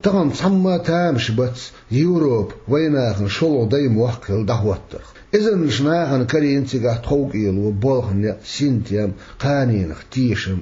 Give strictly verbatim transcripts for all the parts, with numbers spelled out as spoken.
Тахана цхьамма а тамаш бац Европа вайнахана шолгӀа дай мохк хилла дӀахӀоттарх. Эзарнаш нахана карийна цигахь тховкӀело, болх, неӀ, синтем, кханенах тешам.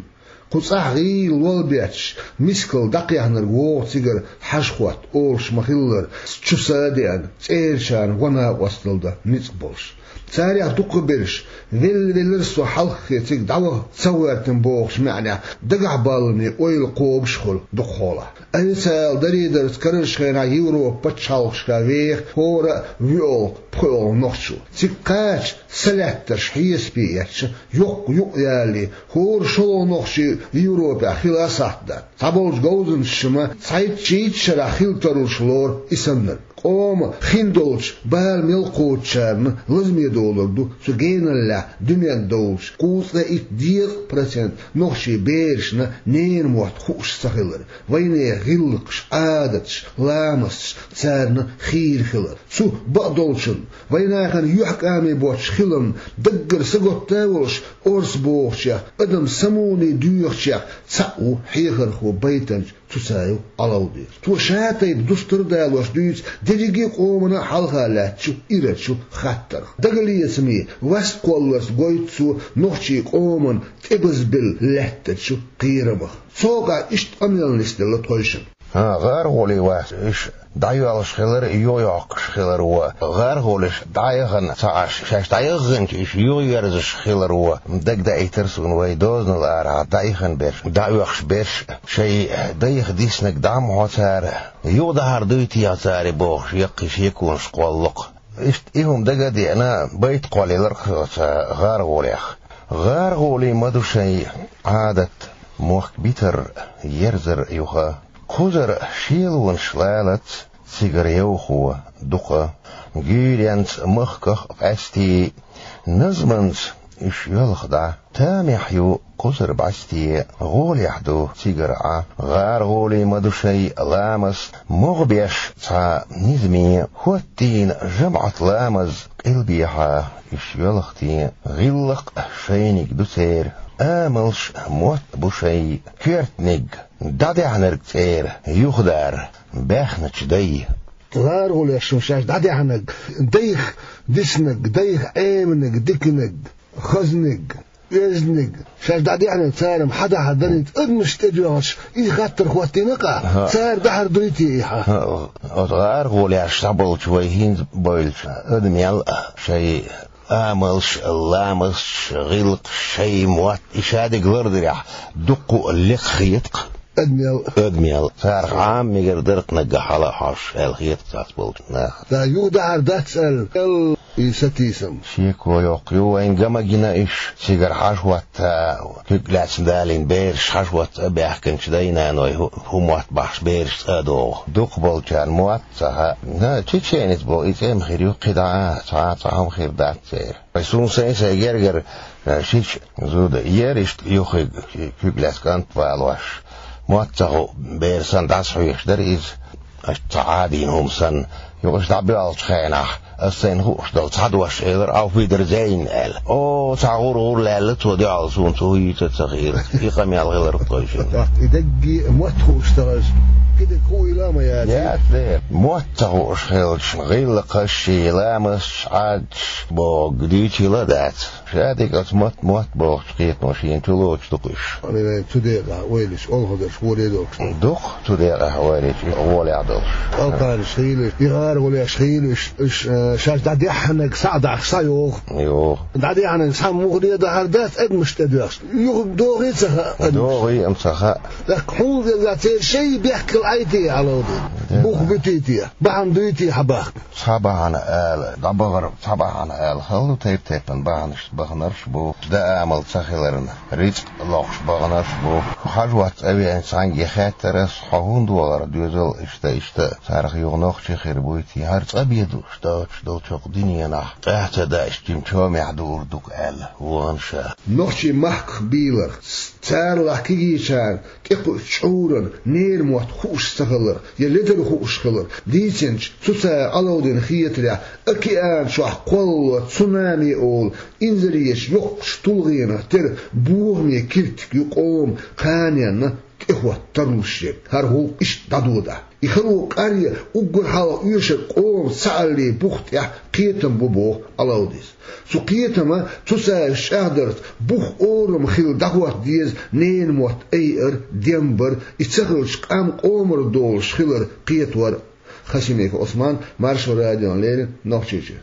Кху цӀахь гӀийла лол бетташ, мискал дӀакхехнарг вогӀу цигара хьажа-хотта олуш ма-хиллара, чу са а деана, цӀерачарна гӀо, накъосталла дан ницкъ болуш. Царех дукхахберш, велла-веллара со хьалххе цига дӀаваха ца гӀоьртина бохучу маьӀнехь, дагахь балламе ойла кхобуш а хуьлу дукхахьолахь. Официалан даре-дарца карарчу хенахь Европан пачхьалкхашкахь веха хӀора а воьалгӀа, пхоьалгӀа нохчо. Цига кхача са лаьттарш хьесапе эцча, йоккха юкъ ялале, хӀора шолгӀа нохчи Европехь хила а сахьт дац. Цхьаболчу говзанчаша ма цхьайтта-шийтта шарахь хила тарлуш лору и саннарг. Къоман хиндолчу бала мел кхочучарна лазаме долур ду цу геналлехь дуьнен долчу кхузткъе итт декъа процент нохчийн берашна ненан мотт хууш ца хилар, вайнехан гӀиллакхаш, Ӏадаташ, ламасташ царна хийра хилар. Цу бакъдолчунна, вайнахана юьхькӀаме боцчу хиламна даггара сагатта а волуш, орца бохучех, адам самуне доьхучех цхьаъ ву хьехархо, байтанча Цуцаев Ӏалавди. Цо ша тайпа дустар а далош дуьйцу дерриге а къомана а хьалха лаьттачу ирачу хаттарх. Дагалецаме, васт кхолларца гойту цо нохчийн къоман тӀебазбелла лаьттачу кхерамах. Цу хьокъехь иштта къамел нисделла тхойшинна. ГӀаргӀули вац, уьш дӀайоьллуш хилар а, юхайоккхуш хилар а. ГӀаргӀулиш дӀаяхана ца Ӏаш, шаьш дӀаяханчу уьш юхаерзаш хилар а дагадаийтира суна вайн дозанал арахь дӀаихна берш, дӀаоьхуш берш, шайн дайх диснарг дӀа ма хьо цара, юха дӀахьар дуй техьа цара бохуш, яккхий шеконаш кхоллу-кх. Иштта и хӀума дага а деана, байт кхоллаелира-кх соьца гӀаргӀулех. ГӀаргӀули ма ду шайн Ӏадат, мохк битар, ерзар юха. Кхузара шелонаш лалац, цигара йовхо дукха. Гуьйренца махках а къаьсте, назманца уьш йоьлху дӀа. Тамехь ю кхузара бӀаьсте, гӀолехь ду цигара Ӏа. ГӀаргӀули ма ду шайн ламаст, могӀа беш цхьа низаме. ХӀоттийна жамаӀат ламаз къилбехьа, уьш йоьлху те. ГӀиллакх шайниг ду церан, амалш мотт бу шайн, коьртаниг дӀадаьхьнарг цӀера юхадар баьхначу дай. ГӀаргӀулешна шаьш дӀадаьхьнарг, дайх диснарг, дайх Ӏеманиг, диканиг, хазниг, оьзниг, шаьш дӀадаьхьнарг цара-м хьан дахьар дарий-те, адамашна тӀедоьгӀуш, и хаттар хӀоттийна-кх ахь, хӀаъ, цара дахьар дуй-те и хьан? ХӀаъ, оцу гӀаргӀулеш дӀаболчу вай хӀинца бевлчу адамел а шайн амалш, ламасташ, гӀиллакхаш, шайн мотт, и шадерг лардирехь, дуккха а лекха хета-кх адамел. Адамел. Царах Ӏама мегар дара-кх наггахь хьала а хьожуш аьлла хета-кх цхьаболчу наха. Ца юха дахьар дац аьлла, аьлла и сатийсам. Шеко йоккха ю вайна, ган ма гина уьш, цигара хьажа-хӀотта, куьг лаьцна далийна бераш хьажа-хӀотта цӀа а баьхкинчу дай-наной хӀу-, хӀун мотт бахьаш бераш цӀа а догӀу. Дукхахболчарна мотт ца хаьа. На, чеченец боху и цӀе-м хир ю кхидӀа а, цхьа а цхьа хӀума хир дац церан. Вай суна сайн-сайн гергара, э, шича зуда, ер иштта юххиг, куьг лаьцна кӀант а валош, мотт ца хуу бер санна дӀасахьоьжуш дара иза, аша цхьа Ӏадийна хӀума санна. Юха аша дӀабоьлхучу хенахь, аса сайна хууш долу цхьа дош элира: «Auf Wiedersehen», — аьлла. О, цхьа гӀур-гӀур лаьлла цо дуьхьал суна, цо хӀун йийцар ца хиира. И къамел хилар-кх тхойшинна. И даггара мотт хууш ца хилча, кхидерг хӀун хила а ма яц. Яц дера. Мотт ца хууш хилча, гӀиллакхаш, ламасташ, Ӏадаташ бохург дуьйцийла а дац. Шадерг оцу мотт, мотт бохучу кхетамо шена чулоцуш ду-кх уьш. Аминан, цу декъехь ойла йича, олхазарш гӀоле а долуш. Ду-кх цу декъехь ойла йича, гӀолехь долуш. Алкхараш хийла уьш, и гӀаргӀулеш хийла уьш, уьш, э, шаьш дӀадаьхьнарг схьа а дахьаш схьайогӀу. Йо. ДӀадаьхьнарг схьа муха де дахьар дац, адамашна тӀедоьгӀуш. Юха догӀий а ца хаьа адамашна. ДогӀий а ца хаьа. ТӀаккха хьуна веза церан шайн бехкал Ӏай-те, Ӏалавди? Бух буьтий-те? Бахьана дуй-те хьан бахка? Цхьа бахьана ала, дӀабахара цхьа бахьана ала, хала ду тайп-тайпана бахьанаш, баханарш а бу, дан амал ца хиларна, рицкъ лохуш баханарш а бу. Хьажа-хӀотта цӀа веанчу цхьаьнгге хаьттира ас: «Хьо хӀунда вахара доьзал иштта, иштта, царах юха нохчи хир буй-те, хӀара цӀа бен ду, доцуш долчу хӀокху дуьненахь, тӀаьхьа ца даьш, жима чомехь дуур ду-кх», — аьлла, вахана ша. Нохчийн махках бийларх, царалахь кегийчарна тӀекхуьучу чкъуран ненан мотт хууш ца хилар я ледар хууш хилар дийцинчу Цуцаев Ӏалавдина хетарехь, океан чохь кхоллало цунами олу инзаречу йоккхачу тулгӀенах тера бохаме киртиг ю къоман кханенна тӀехӀотта тарлуш ерг, хӀара гӀуллакх иштта дӀадода. И хало къаръян уггар хьалха оьшург къоман цхьааллий бух тӀехь кхетам бу, боху Ӏалавдис. Цу кхетаман цу цаьрца чӀагӀдарца бух орам хилла дӀахӀотта деза ненан мотт айар, дем бар, и ца хилча къам къомара долуш хилар кхетор а. Хасимиков Ӏусман, Маршо радиона леррина, Нохчийчуьра.